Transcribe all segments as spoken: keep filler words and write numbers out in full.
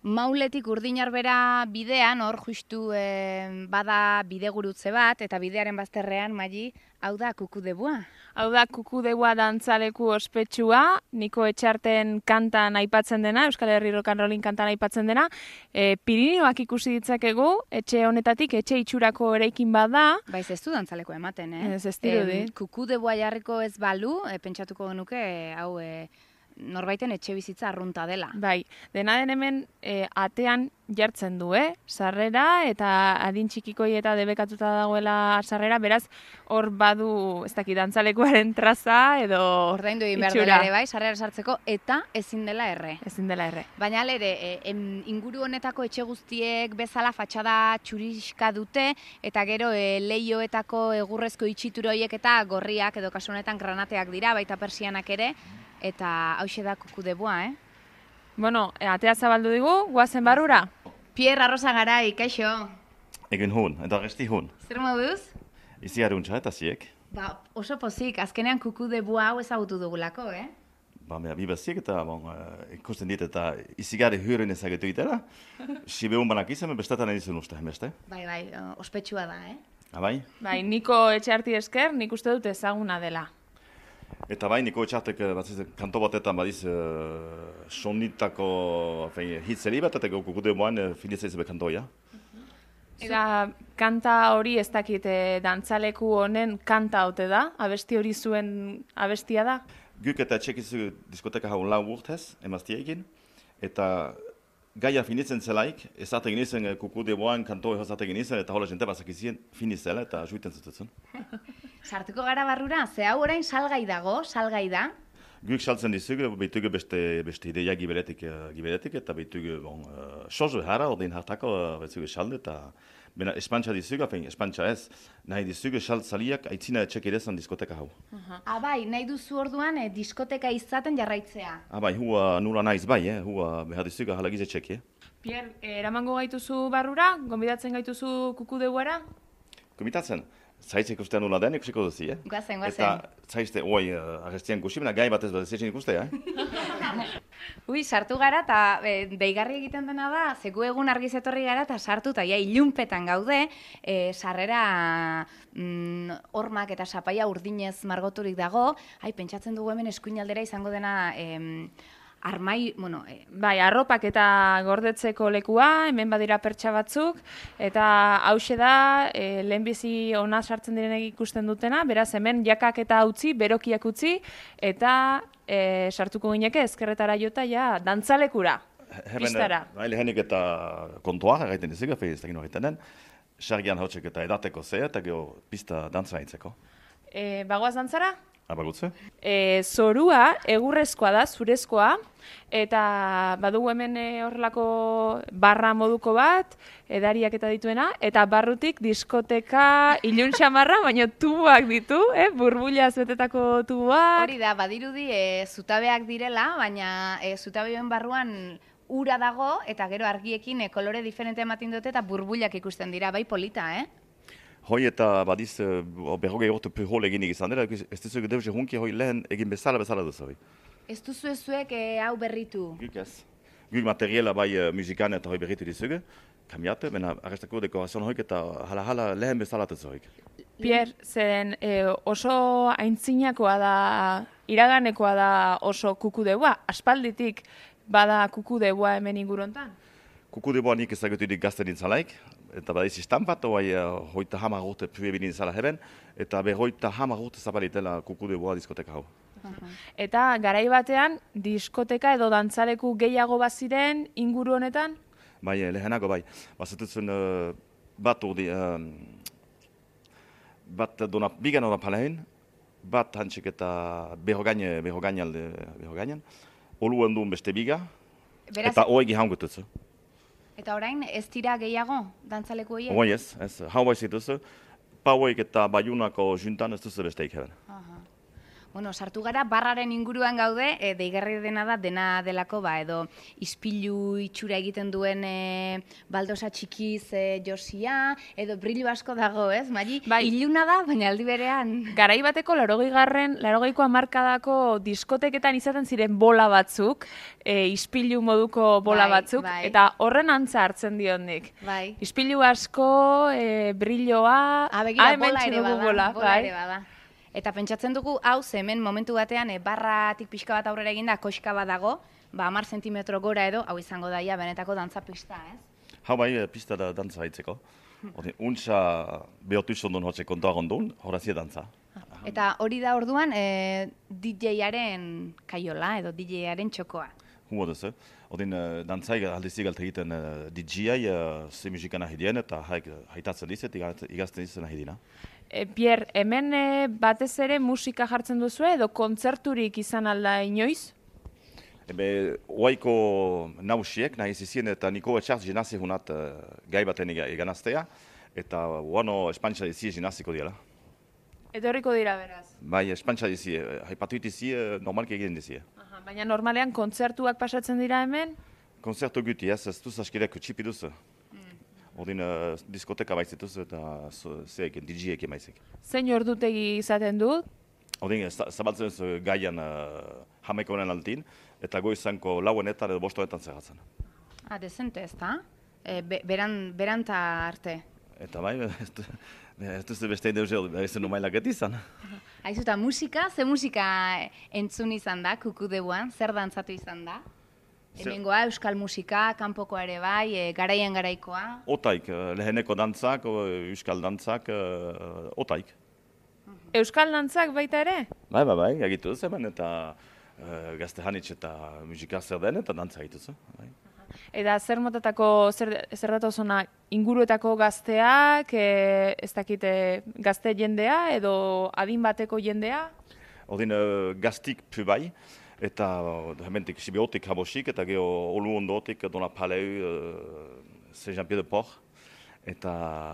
Mauletik Urdinarbera bidean, hor justu eh, bada bidegurutze bat, eta bidearen bazterrean, Mali, hau da kukudebua. Hau da kukudebua dantzaleku ospetsua, Niko Etxarten kantan aipatzen dena, Euskal Herri Rock and Rollin kantan aipatzen dena. E, Pirinioak ikusi ditzakegu, etxe honetatik, etxe itxurako eraikin bada. Baiz ez du dantzaleko ematen, eh? Ez ez dirudi. E, kukudebua jarriko ez balu, e, pentsatuko genuke, e, hau... E, norbaiten etxe bizitza arrunta dela. Bai, dena den hemen e, atean jartzen du, eh? Sarrera eta adin txikikoi eta debekatuta dagoela sarrera, beraz hor badu, ez dakit, dantzalekuaren traza edo ordaindu egin behar dela ere bai, sarrera sartzeko eta ezin dela erre. Ezin dela erre. Baina alere, e, em, inguru honetako etxe guztiek bezala fatxada txuriska dute eta gero e, leioetako egurrezko itxitura horiek eta gorriak edo kasu honetan granateak dira, baita persianak ere. Eta hauxe da kukudebua, eh? Bueno, atea zabaldu digu, guazen barrura? Pierre Arrosa Garai, kaixo? Egin hun, eta resti hun. Zer moduz? Izi haruntza eta ziek. Ba, oso pozik, azkenean kukudebua hau ezagutu dugulako, eh? Ba, mea, bi beziek eta bon, uh, ikusten dit eta izi gari hyörin ezagetu itera. Sibe hun banak izan, bestetan edizun uste, beste? Bai, bai, ospetsua da, eh? Abai? Bai, Niko Etxarti esker, nik uste dut ezaguna dela. Eta bai, Niko Etxartek kanto batetan badiz uh, sonitako hitzeri bat, eta kukudeboan uh, finitzaiz be kantoia. Eta kanta hori ez dakit dantzaleku honen kanta haute da? Abesti hori zuen abestia da? Guk eta txekizu diskoteka hau lau urtez, emaztiekin, eta gaia finitzen zelaik, ezaten ginizen kukudeboan kantoi hozaten ginizen, eta hola jente bazakizien finitzela eta juiten zututzen. Sartuko gara barrura, ze hau orain salgai dago, salgai da? Guk saltzen dizugu, behitugu beste, beste ideia giberetik, giberetik eta behitugu bon, uh, sozu hara, ordein hartako uh, behitugu salde, eta bena espantxa dizugu, afen, espantxa ez, nahi dizugu saltzaliak aitzina etxek edezan diskoteka hau. Uh-huh. Ah, bai, nahi duzu orduan eh, diskoteka izaten jarraitzea? Ah, bai, hua nula naiz bai, eh, hua behar dizugu halagiz etxek, eh? Pierre, eramango gaituzu barrura, gonbidatzen gaituzu kukudeguara? Gomitatzen? Zaitzek ustean nula den, ikusiko duzi, eh? Guazen, guazen. Eta zaizte, oi, uh, agestian kusibena, gai batez bat ezin ikustea, eh? Ui, sartu gara, eta e, deigarri egiten dena da, zeku egun argiz etorri gara, eta sartu, eta ja, ilunpetan gaude, e, sarrera mm, hormak eta sapaia urdinez margoturik dago, hai, pentsatzen dugu hemen eskuinaldera izango dena... Em, Armai, bueno... E... Bai, arropak eta gordetzeko lekua, hemen badira pertsa batzuk, eta hause da, e, lehenbizi ona sartzen direnek ikusten dutena, beraz hemen jakak eta utzi, berokiak utzi, eta e, sartuko gineke ezkerretara jota, ja, dantzalekura, pistara. Hemen, lehenik eta kontuak egiten dizik, efe ez dakino egiten den, sargian hautsek eta edateko zea, eta geho pista dantzara intzeko. E, bagoaz dantzara? Abagutze? E, zorua egurrezkoa da, zurezkoa, eta badugu hemen horrelako barra moduko bat, edariak eta dituena, eta barrutik diskoteka ilun xamarra, baina tubuak ditu, eh? Burbulaz betetako tubuak. Hori da, badirudi e, zutabeak direla, baina e, zutabeen barruan ura dago, eta gero argiekin e, kolore diferente ematen dute, eta burbulak ikusten dira, bai polita, eh? Hoi eta badiz uh, berrogei orte pehol eginik izan dira, ez duzu deus hunki hoi lehen egin bezala bezala duzu hori. Ez duzu ezuek e, hau berritu? Guk ez. Guk materiela bai uh, musikan eta hoi berritu dizugu, kamiate, bena arrestako dekorazioan hoik eta hala-hala lehen bezala duzu hoik. Pierre, zen e, oso aintzinakoa da, iraganekoa da oso kukudebua, aspalditik bada kukudebua hemen ingurontan? Kukudebua nik ezaguturik gazten dintzalaik, eta badiz istampat, oai uh, hoita hamar urte pue binin zala heben, eta berroita hamar urte zapalitela kukudeboa diskoteka hau. Uh-huh. Eta garai batean, diskoteka edo dantzaleku gehiago baziren inguru honetan? Bai, lehenago bai. Bazetutzen uh, bat urdi, uh, bat dona, bigan hona palehin, bat hantsik eta behogaine, behogaine alde, behogainan, oluen duen beste biga, Beraz... eta oegi haungututzu. Eta orain, ez dira gehiago, dantzaleku horiek? Oi ez, ez, hau baizik duzu, pauek eta baiunako juntan ez duzu besteik heben. Bueno, sartu gara, barraren inguruan gaude, e, deigarri dena da, dena delako, ba, edo ispilu itxura egiten duen e, baldosa txikiz e, josia, edo brillo asko dago, ez, Mari? Bai. Iluna da, baina aldi berean... Garai bateko laurogei garren, laurogeiko hamarkadako diskoteketan izaten ziren bola batzuk, e, ispilu moduko bola Bai, batzuk, bai. eta horren antza hartzen diondik. Bai. Ispilu asko, e, brilloa, Ah, begira, hemen bola ere dugu bada, bola, bola bai. ere bada. Eta pentsatzen dugu, hau, ze hemen momentu batean, e, barratik pixka bat aurrera eginda, koxka bat dago, ba, hamar zentimetro gora edo, hau izango daia, benetako dantza pista, ez? Hau bai, pista da dantza haitzeko. Ordin, untsa behotu izondun hotxe kontoa gondun, horazia dantza. Eta hori da orduan, e, D J-aren kaiola, edo D J-aren txokoa. Humo duzu. Ordin, uh, dantzai aldizik alt egiten uh, D J-ai, uh, ze musika nahi dien, eta haik haitatzen dizet, igazten dizet nahi dina. E, Pierre, hemen e, batez ere musika jartzen duzu edo kontzerturik izan alda inoiz? Ebe, oaiko nausiek, nahi zizien, eta niko etxartz jenazi hunat uh, gai baten eganaztea, eta uano espantxa dizi jenaziko diela. Etorriko dira beraz. Bai, espantxa dizi, haipatu itizi, normalki egin dizi. Aha, baina normalean kontzertuak pasatzen dira hemen? Konzertu guti, ez, ez duz askirek txipi duzu. Ordin, uh, diskoteka baizetuz eta zeekin, D J-ekin baizik. Zein ordutegi izaten du? Ordin, zabaltzen duzu gaian uh, hameko honen altin, eta goizanko lauenetan edo bostoetan zerratzen. Ah, dezente ez da? E, be, beran, beranta arte. Eta bai, ez du- ez duzu beste deuzeo, ez du mailak izan. Aizu, eta musika, ze musika entzun izan da, kukudeuan, zer dantzatu izan da? Zer- Hemengoa, euskal musika, kanpokoa ere bai, e, garaian garaikoa. Otaik, eh, leheneko dantzak, o, euskal dantzak, uh, otaik. Euskal dantzak baita ere? Bai, bai, bai, egitu duz hemen, eta uh, gazte hanitz eta musika zer den, eta dantza egitu zu. Bai. Eta zer motatako, zer, zer datozona, inguruetako gazteak, e, ez dakite gazte jendea edo adin bateko jendea? Ordin, uh, gaztik pu bai, eta uh, hementik Sibiotik habosik, eta geho olu ondotik Dona Paleu, uh, Saint-Jean-Pied-de-Port, eta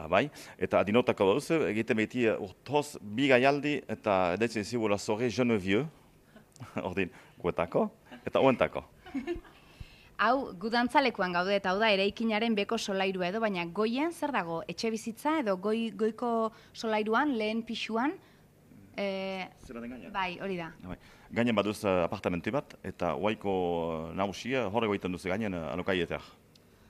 bai, eta adinotako duzu, egiten beti uh, urtoz bi gaialdi, eta edetzen zibula zorre jeune vieux, ordin, guetako, eta oentako. Hau, gu dantzalekuan gaude, eta hau da, eraikinaren beko solairua edo, baina goien zer dago, etxe bizitza edo goi, goiko solairuan, lehen pixuan, e, Zera den gaina? bai, hori da. Bai. Gainen baduz uh, apartamentu bat, eta oaiko uh, nausia horrego egiten duzu gainen uh, alokaietak.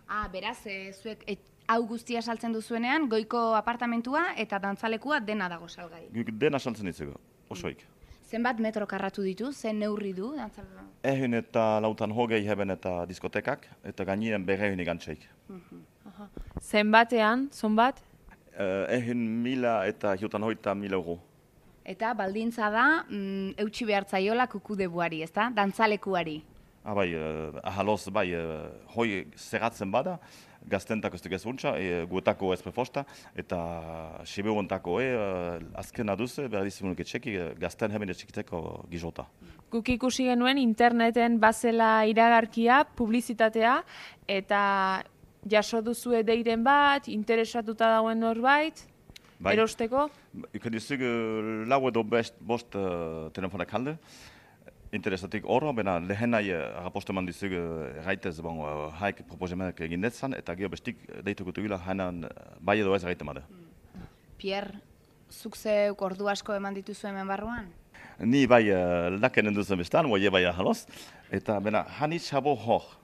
Ah, beraz, e, zuek et, hau guztia saltzen duzuenean, goiko apartamentua eta dantzalekua dena dago salgai. Guk dena saltzen ditzugu, osoik. Zenbat metro karratu ditu, zen neurri du dantzalekua? Ehun eta lautan hogei heben eta diskotekak, eta gainien berrehun igantzeik. Zenbatean, zonbat? Uh, ehun mila eta hiutan hoita mila euro. Eta baldintza da, mm, eutxi behartzaiola kukudebuari, ezta? Dantzalekuari. Ah, bai, uh, ahaloz, bai, uh, hoi zerratzen bada, gaztentak ez duk ez untxa, e, guetako ez prefosta, eta sibeuntako e, uh, azkena duze, behar dizimunik etxeki, gazten hemen etxekiteko gizota. Guk ikusi genuen interneten bazela iragarkia, publizitatea, eta jaso duzue deiren bat, interesatuta dagoen norbait, Bai. erosteko? Ikan dizug lau edo best, bost uh, telefonak halde, interesatik oro, bena lehenai uh, araposteman dizug uh, gaitez, bon, uh, haik proposemenak egin detzan, eta gero bestik deituko dugula hainan uh, bai edo ez gaite made. Pierre, zuk zeuk ordu asko eman dituzu hemen barruan? Ni bai uh, lakenen duzen bestan, oie bai ahaloz, eta bena hanitz habo hor.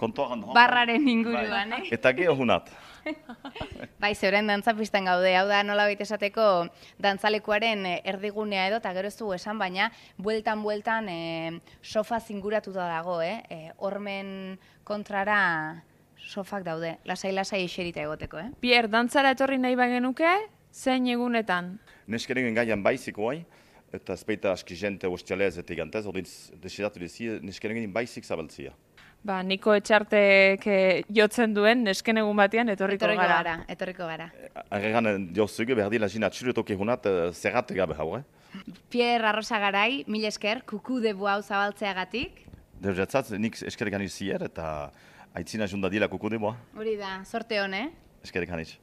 Kontoran hor. Barraren inguruan, eh? Eta gero hunat. Bai, zeuren dantzapistan gaude, hau da nola baita esateko dantzalekuaren eh, erdigunea edo, eta gero ez dugu esan, baina bueltan-bueltan eh, sofa zinguratuta dago, eh? Eh, hormen kontrara sofak daude, lasai-lasai eserita egoteko, eh? Pierre, dantzara etorri nahi bagenuke, zein egunetan? Neskeren gaian baizik oai, eta ezpeita aski jente ostialez eta igantez, ordin desidatu dizi, neskeren baizik zabaltzia. Ba, Niko Etxartek eh, jotzen duen nesken egun batean etorriko, Etorriko gara. gara, etorriko gara. Arregan jozuge behar dila jina atxilotoki hunat zerrate gabe hau, eh? Pierre Arrosagarai, mil esker, kuku debu hau zabaltzeagatik. Deuretzat, nik eskerrik hanitz zier, eta aitzina junda dila kukudiboa. Hori da, sorte hon, eh? Eskerrik hanitz.